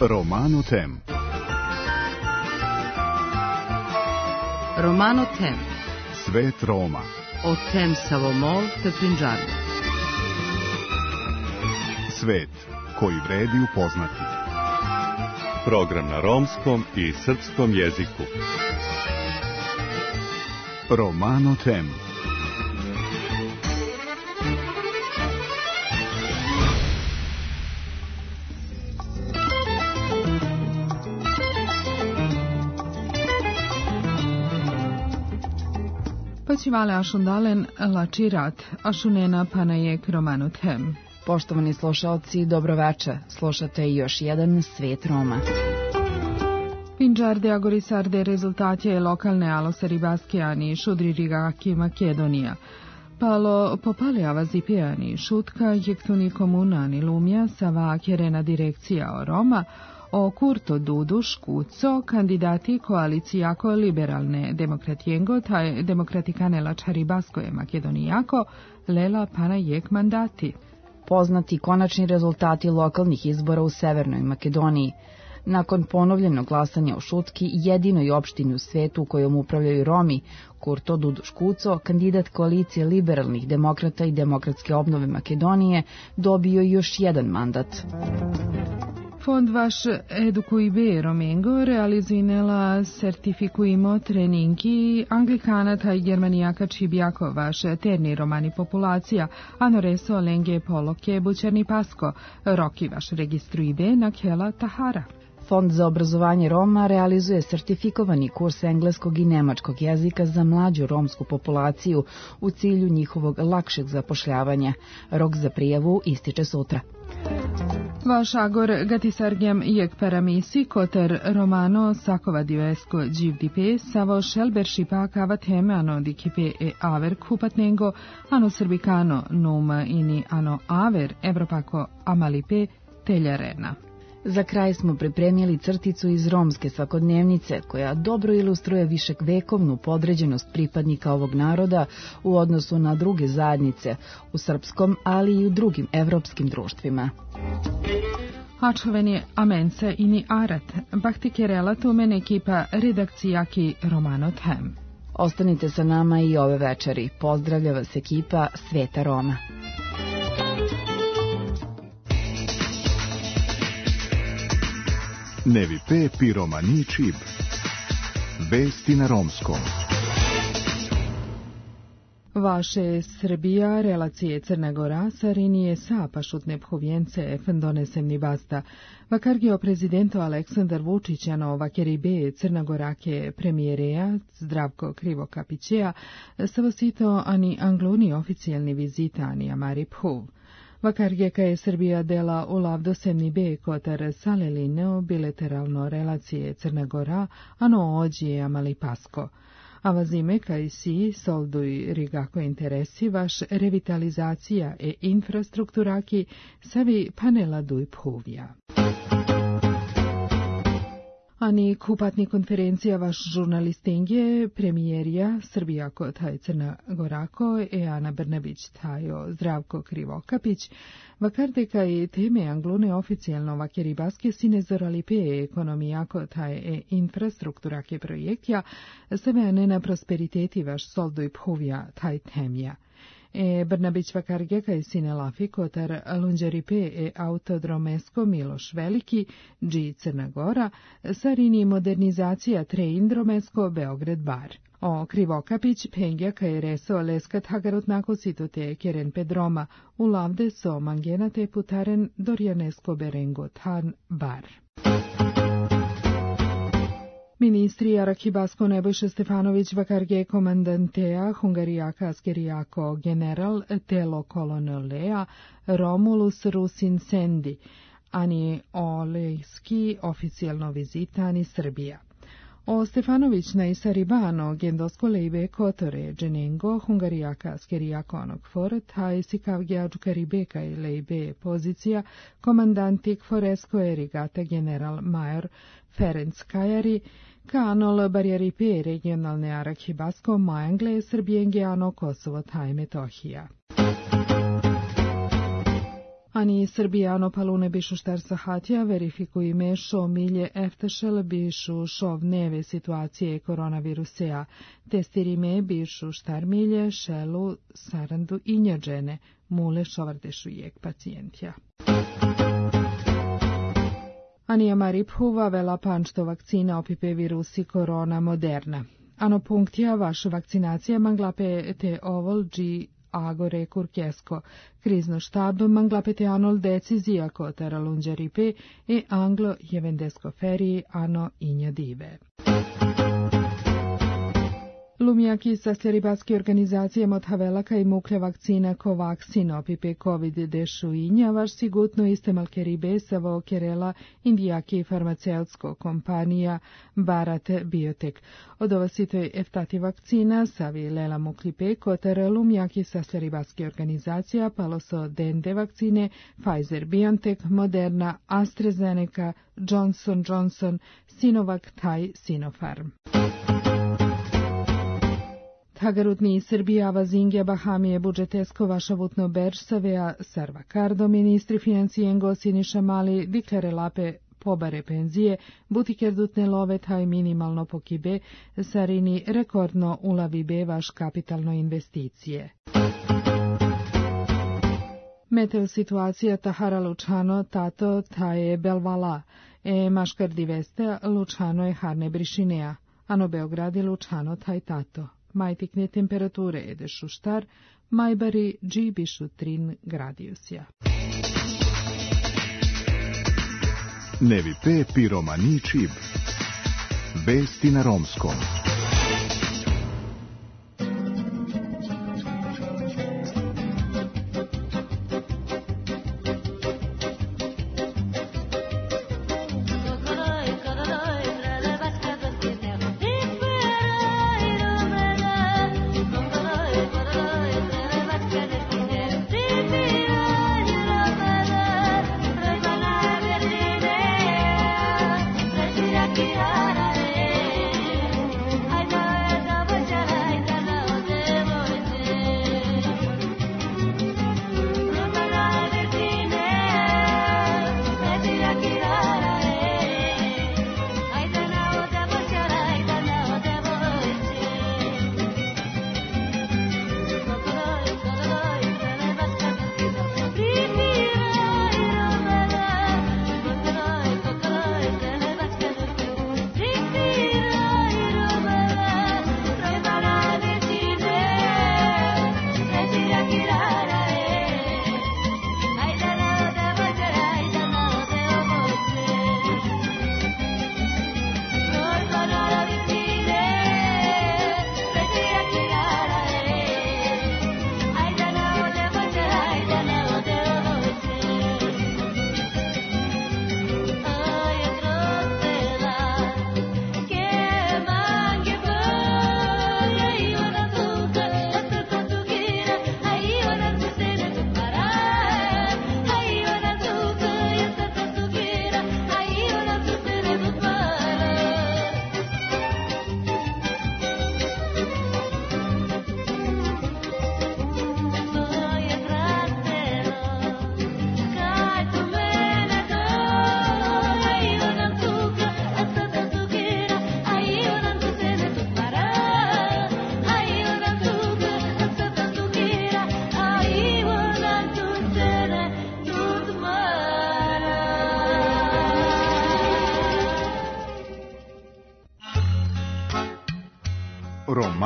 Romano Tem. Romano Tem. Svet Roma. Od Tem Savomol te Punjabi. Svet koji vredi upoznati. Program na romskom i srpskom jeziku. Romano Tem. Paćivale ašundalen lačirat, ašunena panajek Romano Tem. Poštovani slušalci, dobroveče. Slušate još jedan Svet Roma. Pinđarde agorisarde rezultatje lokalne alosaribaskijani šudri rigaki Makedonija. Palo popaleava zipijani šutka jektuni komunani lumja sava kjerena direkcija o Roma, o Kurto Dudu Škuco, kandidati koalicijako liberalne demokratijengo, taj demokratikane lačaribaskoje Makedonijako, lela pana jek mandati. Poznati konačni rezultati lokalnih izbora u Severnoj Makedoniji. Nakon ponovljenog glasanja u Šutki, jedinoj opštini u svetu kojom upravljaju Romi, Kurto Dudu Škuco, kandidat koalicije liberalnih demokrata i demokratske obnove Makedonije, dobio još jedan mandat. Fond vaš Edukuibe Romengo realizinela sertifikujemo treningi Anglikanata i Germanijaka čibijako vaš terni romani populacija, anoreso lenge poloke bućerni pasko, roki vaš registruibe na kela tahara. Fond za obrazovanje Roma realizuje sertifikovani kurs engleskog i nemačkog jezika za mlađu romsku populaciju u cilju njihovog lakšeg zapošljavanja. Rok za prijavu ističe sutra. Vaš agor gatisargjam jek paramisi koter romano sakova divesko dživdipe savo šelberšipa kava teme ano dikipe e aver kupatnengo ano srbikano numa ini ano aver evropako amalipe teljarena. Za kraj smo pripremili crticu iz romske svakodnevnice, koja dobro ilustruje viševekovnu podređenost pripadnika ovog naroda u odnosu na druge zajednice, u srpskom, ali i u drugim evropskim društvima. Ačoveni amence ini arat, bahtike relatumen ekipa redakcijaki Romano Tem. Ostanite sa nama i ove večeri. Pozdravlja vas ekipa Sveta Roma. Nevi pe piromani čib. Vesti na romskom. Vaše Srbija, relacije Crna Gora, sarinije sa pašutne phovjence donesemni basta. Vakargio prezidento Aleksandar Vučićano vakeribe Crna Gorake premijereja Zdravko Krivokapićeja savosito ani angluni oficijalni vizita ani amari phuv. Vakargeka je Srbija dela ulav dosemni be kotar salelineo bilateralno relacije Crna Gora, ano ođije amali pasko. Avazime kaj si solduj rigako interesi vaš revitalizacija e infrastrukturaki savi panela duj phuvja. Ani kupatni konferencija vaš žurnalistinge premijerija Srbija kod taj Crna Gorako e Ana Brnabić tajo Zdravko Krivokapić, vakardeka i teme anglune oficijalno vakeribaske sine zoralipe ekonomija kod taj e infrastrukturake projektja, sebe ne na prosperiteti vaš solduj phuvja taj temja. Brnabić vakargeka i sine lafi kotar lunđeripe e autodromesko Miloš Veliki, dži Crna Gora, sarini modernizacija treindromesko Beograd bar. O Krivokapić pengja kaj reso leskat hagarot nako sitote keren pedroma u lavde so mangenate putaren dorjanesko berengo tan bar. Ministri Arakibasko Nebojša Stefanović vakarge komandantea Hungarijaka askerijako general telo kolonelea Romulus Rusin Sendi, ani olejski oficijalno vizitani Srbija. O Stefanović na Isaribano gendosko lejbe kotore dženengo Hungarijaka askerijako onog for taj sikavgja džukaribeka i lejbe pozicija komandantik foresko erigata general major Ferenc Kajari kanol barijaripe regionalne Arakibasko Majangle Srbijenge ano Kosovo taj Metohija. Ani Srbijano palune bišu štar sahatja verifikui mešo milje eftešel bišu šov neve situacije koronavirusea. Testirime bišu štar milje šelu sarandu injađene, mule šovardešu jek pacijentja. Anija Mariphuva vela pančto vakcina opipe virusi korona moderna. Ano punktija vaša vakcinacija manglape te ovol gi agore kurkesko. Krizno štab manglapete anol decizija kotara lunđaripe e anglo jevendesko feriji ano inja dive. Lumjaki sa seribatske organizacije Mothavelaka i muklja vakcina Covaxin opipe COVID-19 vaš sigutno iste malkeribe savo kerela indijaki farmaceutsko kompanija Bharat Biotech. Od ova sitoj eftati vakcina savi lela muklipe kotar lumjaki sa seribatske organizacija paloso dende vakcine Pfizer BioNTech, Moderna, AstraZeneca, Johnson Johnson, Sinovac taj Sinopharm. Tagarutni Srbija vazingja Bahamije budžetesko vašavutno beržsavea Sarvakardo ministri financijengo Siniša Mali diklare lape pobare penzije, butikerdutne love taj minimalno pokibe, sarini rekordno ulavibe vaš kapitalno investicije. Meteo situacija Tahara Lučano, tato taje Belvala, maškar diveste Lučano je harne brišinea, ano Beograd je Lučano taj tato. Majtikne temperature edešu štar, majbari džibišu 3 gradijusja. Nevi pe piromani čib. Vesti na romskom.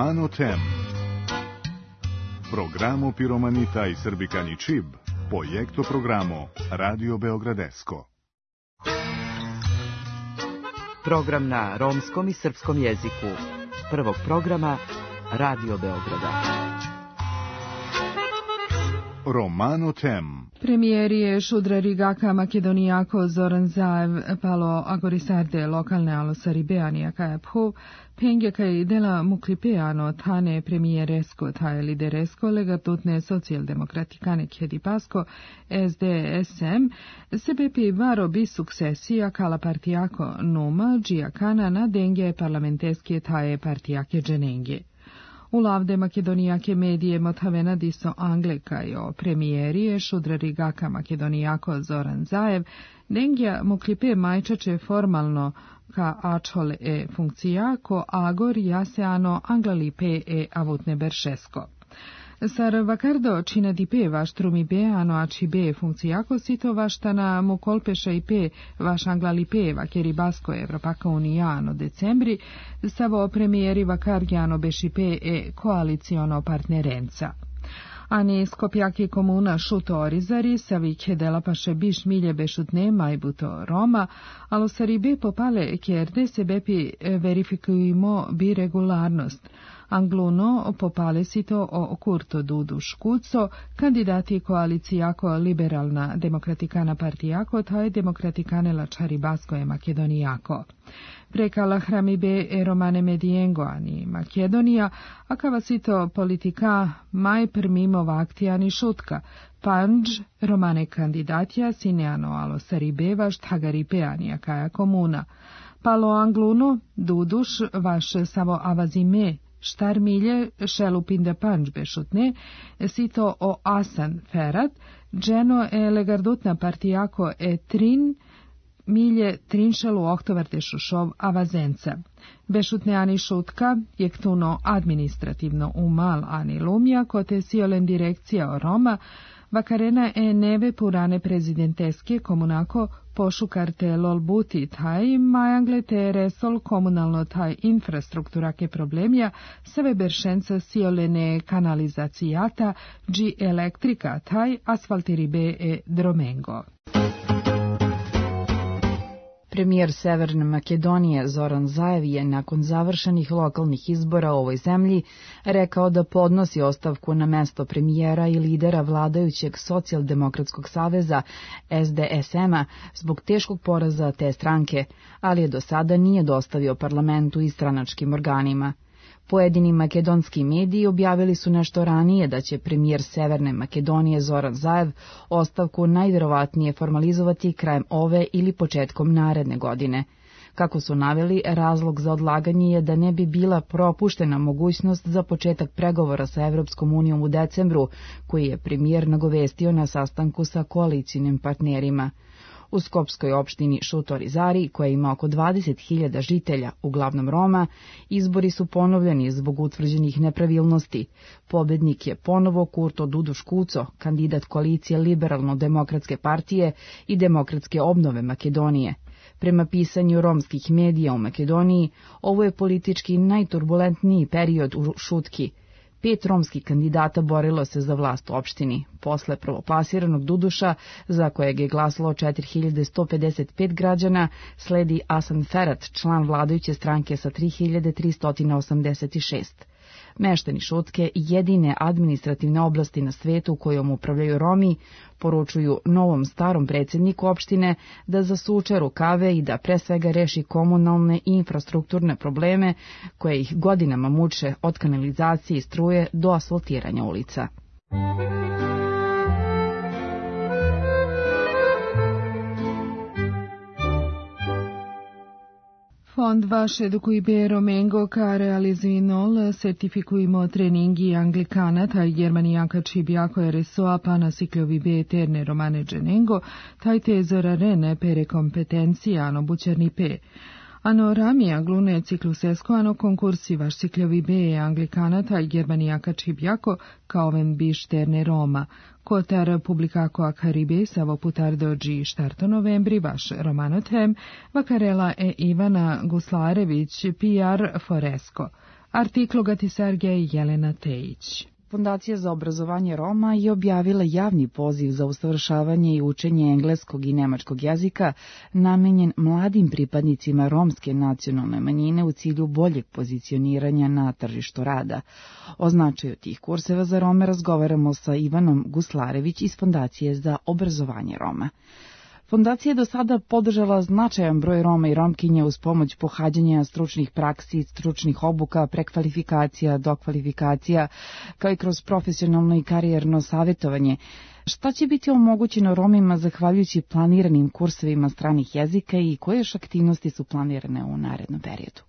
Romano Tem. Programo Piromanita i Srbikani Čib, projekto programo Radio Beogradesko. Program na romskom i srpskom jeziku. Prvog programa Radio Beograda. Romano Tem. Premijerije Šudra Rigaka Makedonijako Zoran Zaev palo agorisarde lokalne alosaribeanija kajapho pengjaka i dela muklipeano tane premijeresko taje lideresko legatutne socijaldemokratikane kjedipasko SDSM sebepi varo bi suksesija kala partijako numa džijakana na denge parlamenteske taje partijake dženenge. U lavde makedonijake medije Motavenadiso Anglekajo premijerije Šudrarigaka makedonijako Zoran Zaev, dengja muklipe majčače formalno ka ačol funkcija ko agor jaseano anglalipe avutne beršesko. Sar vakardo čina dipe vaš trumibe ano ačibe funkcijako sito vaštana mu kolpeša ipe vaš anglalipe vakeri basko Evropaka unijano decembri savo premijeri vakargiano bešipe koaliciono partnerenca. Ani Skopjaki komuna šuto orizari, savike delapaše biš milje bešutne majbuto Roma, alo saribe popale kjerde se bepi verifikujemo bi regularnost. Angluno popale sito o Kurto Dudu Škuco, kandidati koalicijako liberalna demokratikana partijako, taj demokratikane lačari basko je makedonijako. Prekala hramibe romane medijengo ani Makedonija, a kava sito politika maj prmimo vaktijani šutka, panđ romane kandidatija sineano alo saribe štagaripe anija kaja komuna. Palo Angluno, Duduš vaš savo avazime, štar milje šelupinde panđ bešutne, sito o Asan Ferat, dženo legardutna partijako trin, milje trinšalu oktovarte šušov avazenca. Bešutne ani šutka, jektuno administrativno umal ani lumja, kote siolen direkcija o Roma, vakarena neve purane prezidenteske komunako pošukarte lolbuti taj majangle te resol komunalno taj infrastrukturake problemja save beršenca siolene kanalizacijata dži elektrika taj asfaltiribe dromengo. Premijer Severne Makedonije Zoran Zaev je nakon završenih lokalnih izbora u ovoj zemlji rekao da podnosi ostavku na mesto premijera i lidera vladajućeg Socijaldemokratskog saveza SDSM-a zbog teškog poraza te stranke, ali je do sada nije dostavio parlamentu i stranačkim organima. Pojedini makedonski mediji objavili su nešto ranije da će premijer Severne Makedonije Zoran Zaev ostavku najvjerovatnije formalizovati krajem ove ili početkom naredne godine. Kako su naveli, razlog za odlaganje je da ne bi bila propuštena mogućnost za početak pregovora sa Evropskom unijom u decembru, koji je premijer nagovestio na sastanku sa koalicijnim partnerima. U skopskoj opštini Šuto-Orizari, koja ima oko 20.000 žitelja, uglavnom Roma, izbori su ponovljeni zbog utvrđenih nepravilnosti. Pobednik je ponovo Kurto Dudu Škuco, kandidat koalicije Liberalno-demokratske partije i Demokratske obnove Makedonije. Prema pisanju romskih medija u Makedoniji, ovo je politički najturbulentniji period u Šutki. 5 romskih kandidata borilo se za vlast u opštini. Posle prvoplasiranog Duduša, za kojeg je glasalo 4155 građana, sledi Asan Ferat, član vladajuće stranke sa 3386. Meštani Šutke, jedine administrativne oblasti na svetu kojom upravljaju Romi, poručuju novom starom predsjedniku opštine da zasuče rukave i da pre svega reši komunalne i infrastrukturne probleme koje ih godinama muče od kanalizacije i struje do asfaltiranja ulica. Fond vaš edukujbe Romengo ka realizinol sertifikujmo treningi anglikana taj germanijaka čibjako RSO-a pana sikljovibe eterne romane dženengo taj te zorarene pere kompetencijano bučernipe. Ano ramija glune ciklusesko ano konkursi vaš sikljovibe anglikana taj germanijaka čibjako kao ven biš terne Roma. Kotar publikako akaribe savo putardo dži štarto novembri vaš romanotem vakarela Ivana Guslarević PR Foresko. Artiklo gati Sergej Jelena Tejić. Fondacija za obrazovanje Roma je objavila javni poziv za usavršavanje i učenje engleskog i nemačkog jezika namenjen mladim pripadnicima romske nacionalne manjine u cilju boljeg pozicioniranja na tržištu rada. O značaju tih kurseva za Rome razgovaramo sa Ivanom Guslarević iz Fondacije za obrazovanje Roma. Fondacija je do sada podržala značajan broj Roma i Romkinja uz pomoć pohađanja stručnih praksi, stručnih obuka, prekvalifikacija, dokvalifikacija, kao i kroz profesionalno i karijerno savjetovanje. Šta će biti omogućeno Romima zahvaljujući planiranim kursevima stranih jezika i koje još aktivnosti su planirane u narednom periodu?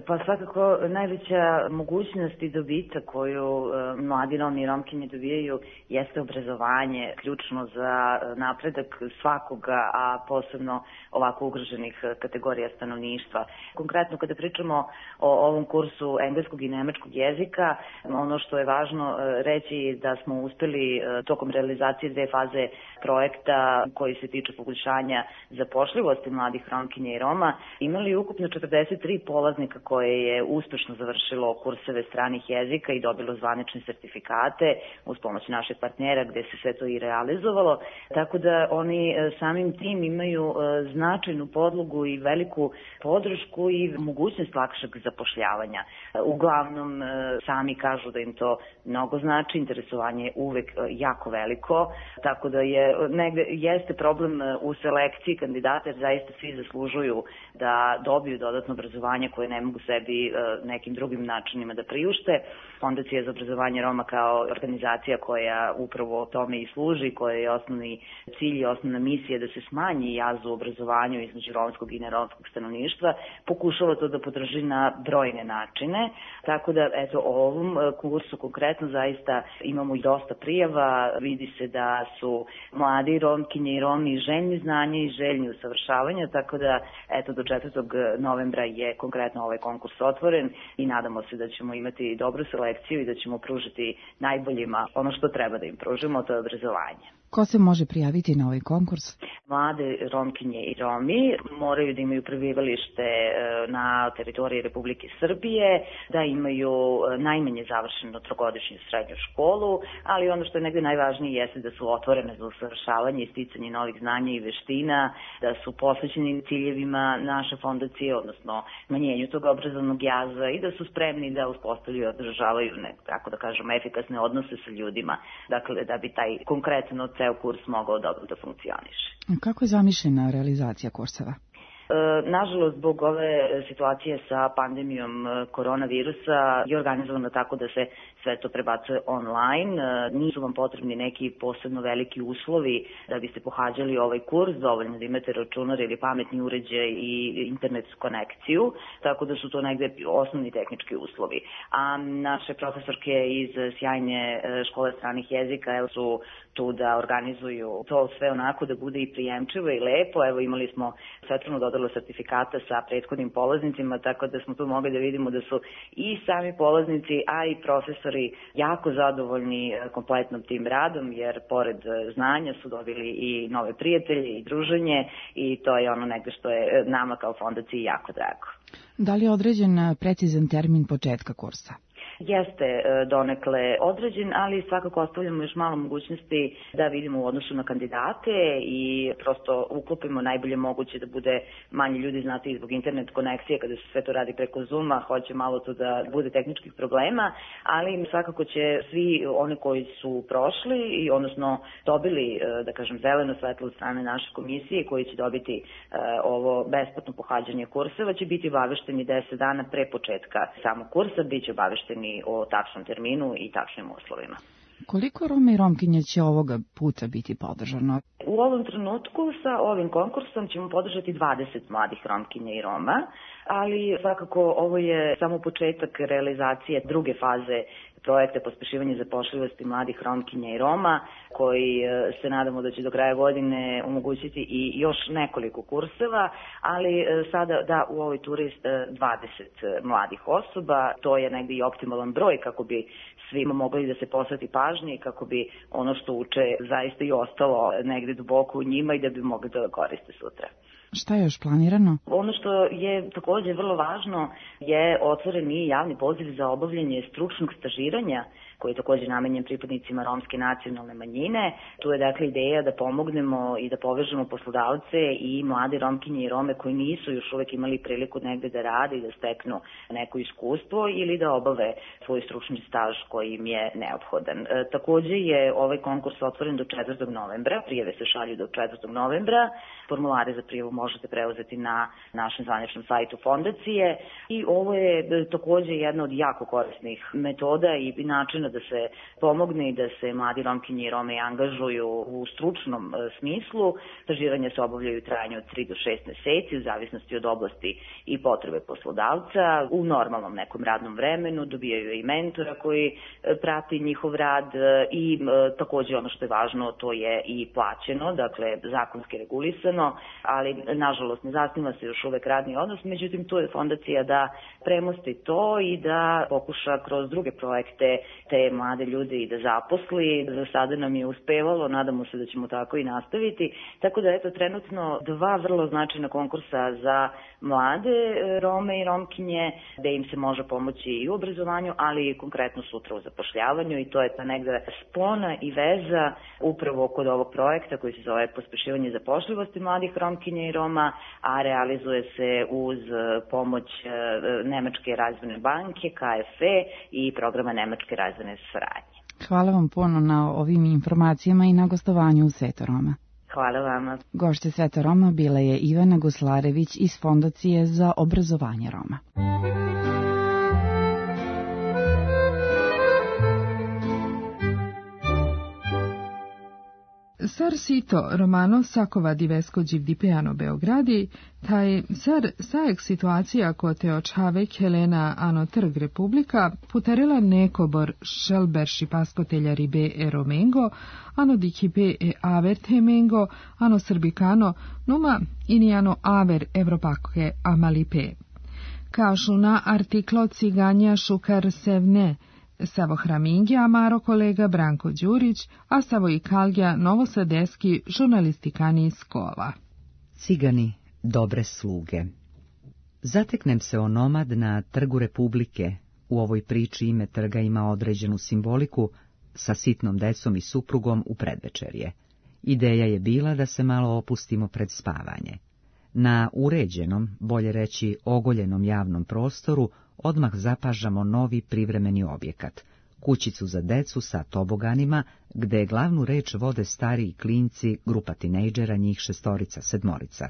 Pa svakako najveća mogućnost i dobitak koju mladi Romi i Romkinje dobijaju jeste obrazovanje, ključno za napredak svakoga, a posebno ovako ugroženih kategorija stanovništva. Konkretno kada pričamo o ovom kursu engleskog i nemačkog jezika, ono što je važno reći je da smo uspeli tokom realizacije 2 faze projekta koji se tiču poboljšanja zapošljivosti mladih Romkinja i Roma, imali ukupno 43 polaznika koje je uspešno završilo kurseve stranih jezika i dobilo zvanične sertifikate uz pomoć našeg partnera gde se sve to i realizovalo, tako da oni samim tim imaju značajnu podlogu i veliku podršku i mogućnost lakšeg zapošljavanja. Uglavnom sami kažu da im to mnogo znači, interesovanje je uvek jako veliko, tako da jeste problem u selekciji kandidata, jer zaista svi zaslužuju da dobiju dodatno obrazovanje koje ne mogu sebi nekim drugim načinima da priušte. Fondacija za obrazovanje Roma kao organizacija koja upravo tome i služi, koja je osnovni cilj i osnovna misija da se smanji jaz u obrazovanju između romskog i neromskog stanovništva, pokušava to da podrži na brojne načine. Tako da, eto, o ovom kursu konkretno zaista imamo i dosta prijava. Vidi se da su mladi Romkinje i Romi željni znanja i željni usavršavanja, tako da, eto, do 4. novembra je konkretno ovaj konkurs otvoren i nadamo se da ćemo imati dobru selekciju i da ćemo pružiti najboljima ono što treba da im pružimo, to je obrazovanje. Ko se može prijaviti na ovaj konkurs? Mlade Romkinje i Romi moraju da imaju prebivalište na teritoriji Republike Srbije, da imaju najmanje završenu 3-godišnju srednju školu, ali ono što je negde najvažnije jeste da su otvorene za usavršavanje i sticanje novih znanja i veština, da su posvećeni ciljevima naše fondacije, odnosno smanjenju tog obrazovnog jaza i da su spremni da uspostavljaju i održavaju, tako da kažemo, efikasne odnose sa ljudima, dakle da bi taj konkretno ceo kurs mogao dobro da funkcioniše. Kako je zamišljena realizacija kurseva? Nažalost, zbog ove situacije sa pandemijom koronavirusa je organizovano tako da se sve to prebacuje online. Nisu vam potrebni neki posebno veliki uslovi da biste pohađali ovaj kurs, dovoljno da imate računar ili pametni uređaj i internetsku konekciju, tako da su to negde osnovni tehnički uslovi. A naše profesorke iz sjajne škole stranih jezika su tu da organizuju to sve onako da bude i prijemčivo i lepo. Evo, imali smo svetlanu dodelu sertifikata sa prethodnim polaznicima, tako da smo tu mogli da vidimo da su i sami polaznici, a i profesori jako zadovoljni kompletnom tim radom, jer pored znanja su dobili i nove prijatelje i druženje i to je ono negde što je nama kao fondaciji jako drago. Da li je određen precizan termin početka kursa? Jeste donekle određen, ali svakako ostavljamo još malo mogućnosti da vidimo u odnosu na kandidate i prosto uklopimo najbolje moguće da bude manje ljudi, znate, zbog internet konekcije, kada se sve to radi preko Zooma, hoće malo to da bude tehničkih problema, ali svakako će svi oni koji su prošli i odnosno dobili, da kažem, zeleno svetlo od strane naše komisije, koji će dobiti ovo besplatno pohađanje kurseva, će biti obavešteni 10 dana pre početka samog kursa, bit će obavešteni o tačnom terminu i tačnim uslovima. Koliko Roma i Romkinja će ovoga puta biti podržano? U ovom trenutku sa ovim konkursom ćemo podržati 20 mladih Romkinja i Roma, ali svakako ovo je samo početak realizacije druge faze projekta pospešivanja zapošljivosti mladih Romkinja i Roma, koji se nadamo da će do kraja godine omogućiti i još nekoliko kurseva, ali sada da u ovoj turi 20 mladih osoba, to je negdje i optimalan broj kako bi svima mogli da se posveti pažnje i kako bi ono što uče zaista i ostalo negde duboko u njima i da bi mogli da koriste sutra. Šta je još planirano? Ono što je također vrlo važno je otvoren i javni poziv za obavljanje stručnog stažiranja koji je također namenjen pripadnicima romske nacionalne manjine. Tu je dakle ideja da pomognemo i da povežemo poslodavce i mlade Romkinje i Rome koji nisu još uvek imali priliku negde da rade i da steknu neko iskustvo ili da obave svoj stručni staž koji im je neophodan. Također je ovaj konkurs otvoren do 4. novembra, prijave se šalju do 4. novembra, formulare za prijavu možete preuzeti na našem zvaničnom sajtu fondacije i ovo je takođe jedna od jako korisnih metoda i načina da se pomogne i da se mladi Romkinje i Rome angažuju u stručnom smislu. Stažiranja se obavljaju u trajanju od 3 do 6 meseci u zavisnosti od oblasti i potrebe poslodavca. U normalnom nekom radnom vremenu dobijaju i mentora koji prati njihov rad i takođe ono što je važno, to je i plaćeno, dakle zakonski regulisano, ali nažalost ne zasniva se još uvek radni odnos, međutim tu je fondacija da premosti to i da pokuša kroz druge projekte te mlade ljude i da zaposli. Za sada nam je uspevalo, nadamo se da ćemo tako i nastaviti, tako da eto trenutno 2 vrlo značajna konkursa za mlade Rome i Romkinje, gde im se može pomoći i u obrazovanju, ali i konkretno sutra u zapošljavanju, i to je ta negde spona i veza upravo kod ovog projekta koji se zove Pospešivanje zapošljivosti mladih Romkinja i Roma, a realizuje se uz pomoć Nemačke razvojne banke, KFE i programa Nemačke razvojne saradnje. Hvala vam puno na ovim informacijama i na gostovanju u Sveto Roma. Hvala vama. Gošće Sveta Roma bila je Ivana Guslarević iz Fondacije za obrazovanje Roma. Sar sito romano Sakova diveskođiv dipeano Beogradi, taj sar sajek situacija ko te očavek Helena ano trg republika putarela nekobor šelberši paskotelja ribe e romengo, ano dikipe e aver temengo, ano srbikano, numa iniano aver evropake amalipe. Kažu na artiklo ciganja šukar sevne, Savo Hramingja, Amaro kolega Branko Đurić, a Savo i Kalgja novosadeski žurnalistikani iz Kova. Cigani, dobre sluge. Zateknem se onomad na trgu Republike. U ovoj priči ime trga ima određenu simboliku, sa sitnom decom i suprugom u predvečerje. Ideja je bila da se malo opustimo pred spavanje. Na uređenom, bolje reći ogoljenom javnom prostoru, odmah zapažamo novi privremeni objekat, kućicu za decu sa toboganima, gde glavnu reč vode stariji klinci, grupa tinejdžera, njih 6-7.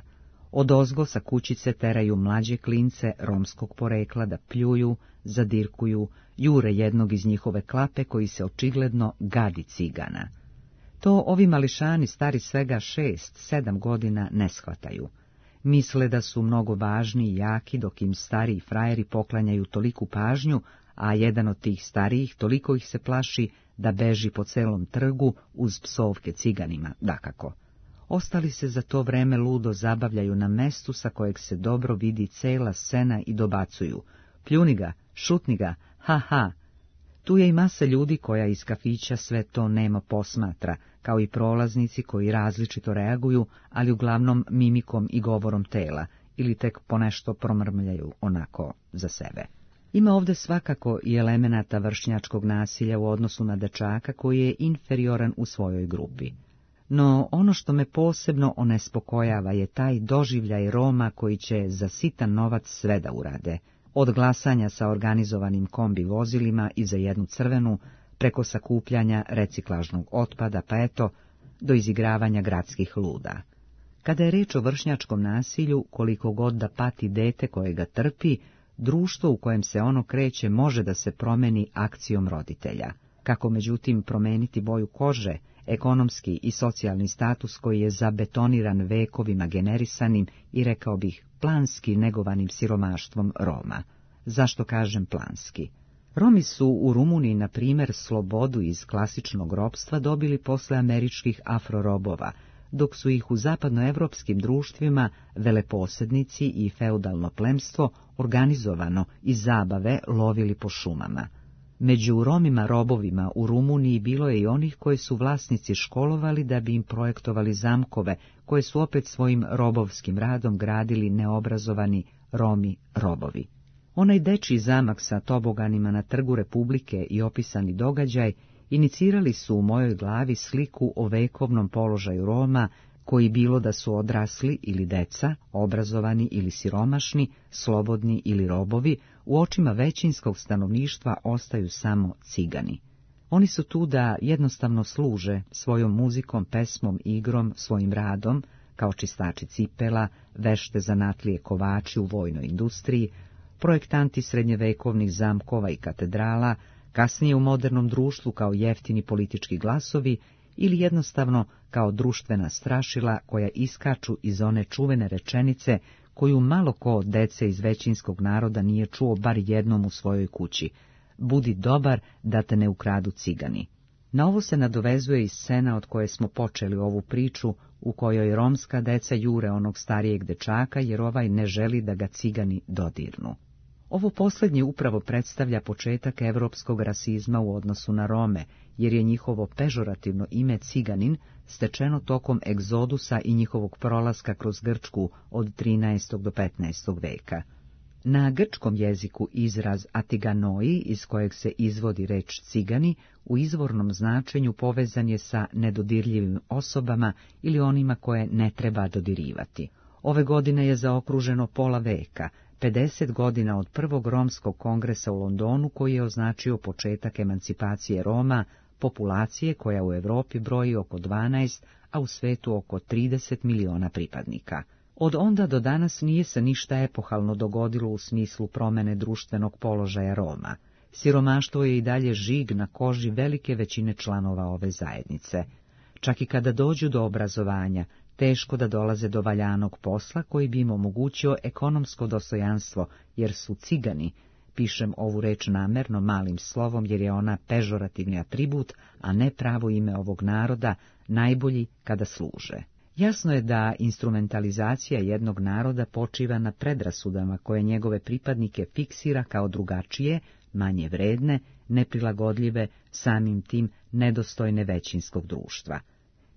Odozgo sa kućice teraju mlađe klince romskog porekla da pljuju, zadirkuju, jure jednog iz njihove klape koji se očigledno gadi cigana. To ovi mališani stari svega 6-7 godina ne shvataju. Misle da su mnogo važni i jaki, dok im stariji frajeri poklanjaju toliku pažnju, a jedan od tih starijih toliko ih se plaši da beži po celom trgu uz psovke ciganima, dakako. Ostali se za to vreme ludo zabavljaju na mestu sa kojeg se dobro vidi cela scena i dobacuju: pljuni ga, šutni ga, ha ha. Tu je i masa ljudi koja iz kafića sve to nemo posmatra, kao i prolaznici koji različito reaguju, ali uglavnom mimikom i govorom tela, ili tek ponešto promrmljaju onako za sebe. Ima ovde svakako i elemenata vršnjačkog nasilja u odnosu na dečaka koji je inferioran u svojoj grupi. No ono što me posebno onespokojava je taj doživljaj Roma koji će za sitan novac sve da urade, od glasanja sa organizovanim kombi vozilima i za jednu crvenu, preko sakupljanja reciklažnog otpada, pa eto, do izigravanja gradskih luda. Kada je reč o vršnjačkom nasilju, koliko god da pati dete koje ga trpi, društvo u kojem se ono kreće može da se promeni akcijom roditelja. Kako međutim promeniti boju kože, ekonomski i socijalni status koji je zabetoniran vekovima generisanim i, rekao bih, planski negovanim siromaštvom Roma. Zašto kažem planski? Romi su u Rumuniji, na primjer, slobodu iz klasičnog ropstva dobili posle američkih afrorobova, dok su ih u zapadnoevropskim društvima veleposednici i feudalno plemstvo organizovano iz zabave lovili po šumama. Među Romima robovima u Rumuniji bilo je i onih koji su vlasnici školovali da bi im projektovali zamkove, koje su opet svojim robovskim radom gradili neobrazovani Romi robovi. Onaj dečiji zamak sa toboganima na trgu Republike i opisani događaj inicirali su u mojoj glavi sliku o vekovnom položaju Roma, koji bilo da su odrasli ili deca, obrazovani ili siromašni, slobodni ili robovi, u očima većinskog stanovništva ostaju samo cigani. Oni su tu da jednostavno služe svojom muzikom, pesmom, igrom, svojim radom, kao čistači cipela, vešte zanatlije kovači u vojnoj industriji, projektanti srednjevekovnih zamkova i katedrala, kasnije u modernom društvu kao jeftini politički glasovi ili jednostavno kao društvena strašila koja iskaču iz one čuvene rečenice koju malo ko od dece iz većinskog naroda nije čuo bar jednom u svojoj kući: budi dobar da te ne ukradu cigani. Na ovo se nadovezuje i scena od koje smo počeli ovu priču, u kojoj romska deca jure onog starijeg dečaka jer ovaj ne želi da ga cigani dodirnu. Ovo posljednje upravo predstavlja početak evropskog rasizma u odnosu na Rome, jer je njihovo pežorativno ime ciganin stečeno tokom egzodusa i njihovog prolaska kroz Grčku od 13. do 15. veka. Na grčkom jeziku izraz atiganoi, iz kojeg se izvodi reč cigani, u izvornom značenju povezan je sa nedodirljivim osobama ili onima koje ne treba dodirivati. Ove godine je zaokruženo pola veka, 50 godina od prvog romskog kongresa u Londonu, koji je označio početak emancipacije Roma, populacije koja u Europi broji oko 12, a u svetu oko 30 miliona pripadnika. Od onda do danas nije se ništa epohalno dogodilo u smislu promene društvenog položaja Roma. Siromaštvo je i dalje žig na koži velike većine članova ove zajednice. Čak i kada dođu do obrazovanja, teško da dolaze do valjanog posla koji bi im omogućio ekonomsko dostojanstvo, jer su cigani, pišem ovu reč namerno malim slovom jer je ona pežorativni atribut, a ne pravo ime ovog naroda, najbolji kada služe. Jasno je da instrumentalizacija jednog naroda počiva na predrasudama koje njegove pripadnike fiksira kao drugačije, manje vredne, neprilagodljive, samim tim nedostojne većinskog društva.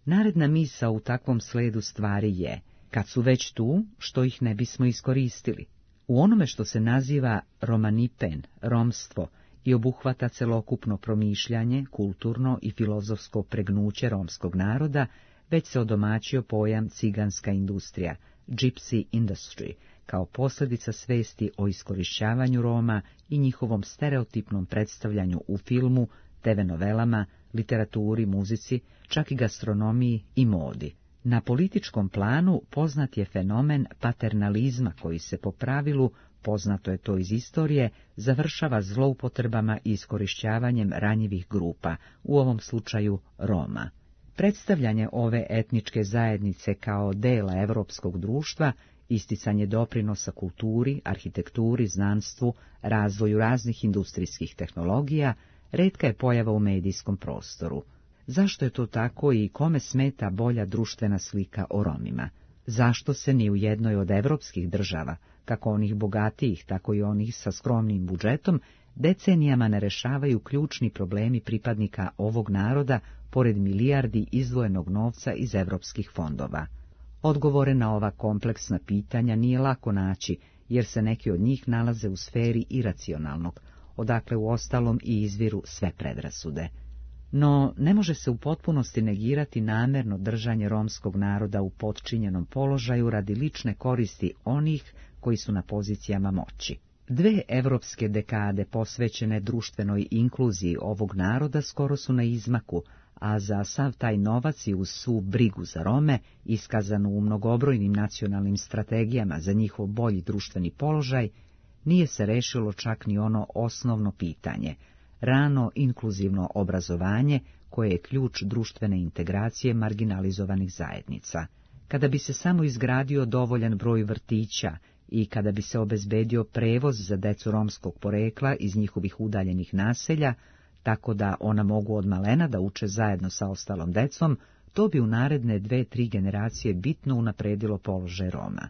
Naredna misao u takvom sledu stvari je: kad su već tu, što ih ne bismo iskoristili? U onome što se naziva romanipen, romstvo, i obuhvata celokupno promišljanje, kulturno i filozofsko pregnuće romskog naroda, već se odomaćio pojam ciganska industrija, gypsy industry, kao posljedica svesti o iskorišćavanju Roma i njihovom stereotipnom predstavljanju u filmu, TV novelama, literaturi, muzici, čak i gastronomiji i modi. Na političkom planu poznat je fenomen paternalizma koji se po pravilu, poznato je to iz istorije, završava zloupotrebama i iskorišćavanjem ranjivih grupa, u ovom slučaju Roma. Predstavljanje ove etničke zajednice kao dela europskog društva, isticanje doprinosa kulturi, arhitekturi, znanstvu, razvoju raznih industrijskih tehnologija, retka je pojava u medijskom prostoru. Zašto je to tako i kome smeta bolja društvena slika o Romima? Zašto se ni u jednoj od evropskih država, kako onih bogatijih, tako i onih sa skromnim budžetom, decenijama ne rešavaju ključni problemi pripadnika ovog naroda, pored milijardi izdvojenog novca iz evropskih fondova? Odgovore na ova kompleksna pitanja nije lako naći, jer se neki od njih nalaze u sferi iracionalnog, odakle uostalom i izviru sve predrasude. No, ne može se u potpunosti negirati namjerno držanje romskog naroda u potčinjenom položaju radi lične koristi onih koji su na pozicijama moći. 2 evropske dekade posvećene društvenoj inkluziji ovog naroda skoro su na izmaku, a za sav taj novac i uz svu brigu za Rome, iskazanu u mnogobrojnim nacionalnim strategijama za njihov bolji društveni položaj, nije se rešilo čak ni ono osnovno pitanje, rano inkluzivno obrazovanje koje je ključ društvene integracije marginalizovanih zajednica. Kada bi se samo izgradio dovoljan broj vrtića i kada bi se obezbedio prevoz za decu romskog porekla iz njihovih udaljenih naselja, tako da ona mogu od malena da uče zajedno sa ostalom decom, to bi u naredne 2-3 generacije bitno unapredilo položaj Roma.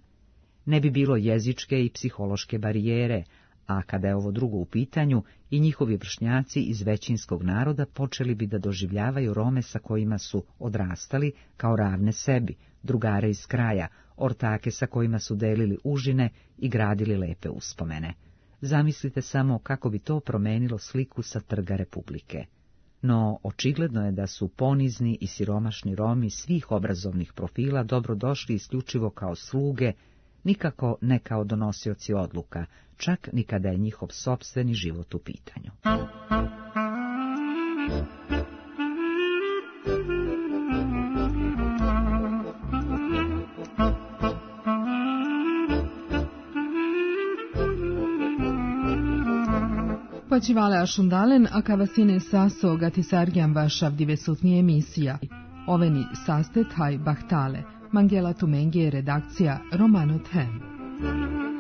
Ne bi bilo jezičke i psihološke barijere, a kada je ovo drugo u pitanju, i njihovi vršnjaci iz većinskog naroda počeli bi da doživljavaju Rome sa kojima su odrastali kao ravne sebi, drugare iz kraja, ortake sa kojima su delili užine i gradili lepe uspomene. Zamislite samo kako bi to promenilo sliku sa trga Republike. No, očigledno je da su ponizni i siromašni Romi svih obrazovnih profila dobrodošli isključivo kao sluge, nikako ne kao donosioci odluka, čak ni kada je njihov sopstveni život u pitanju. Oči vale ašundalen, a kavasine saso gatisargjan vašav divesutnije emisija. Oveni saste taj bahtale. Mangela Tumenge, redakcija Romano Tem.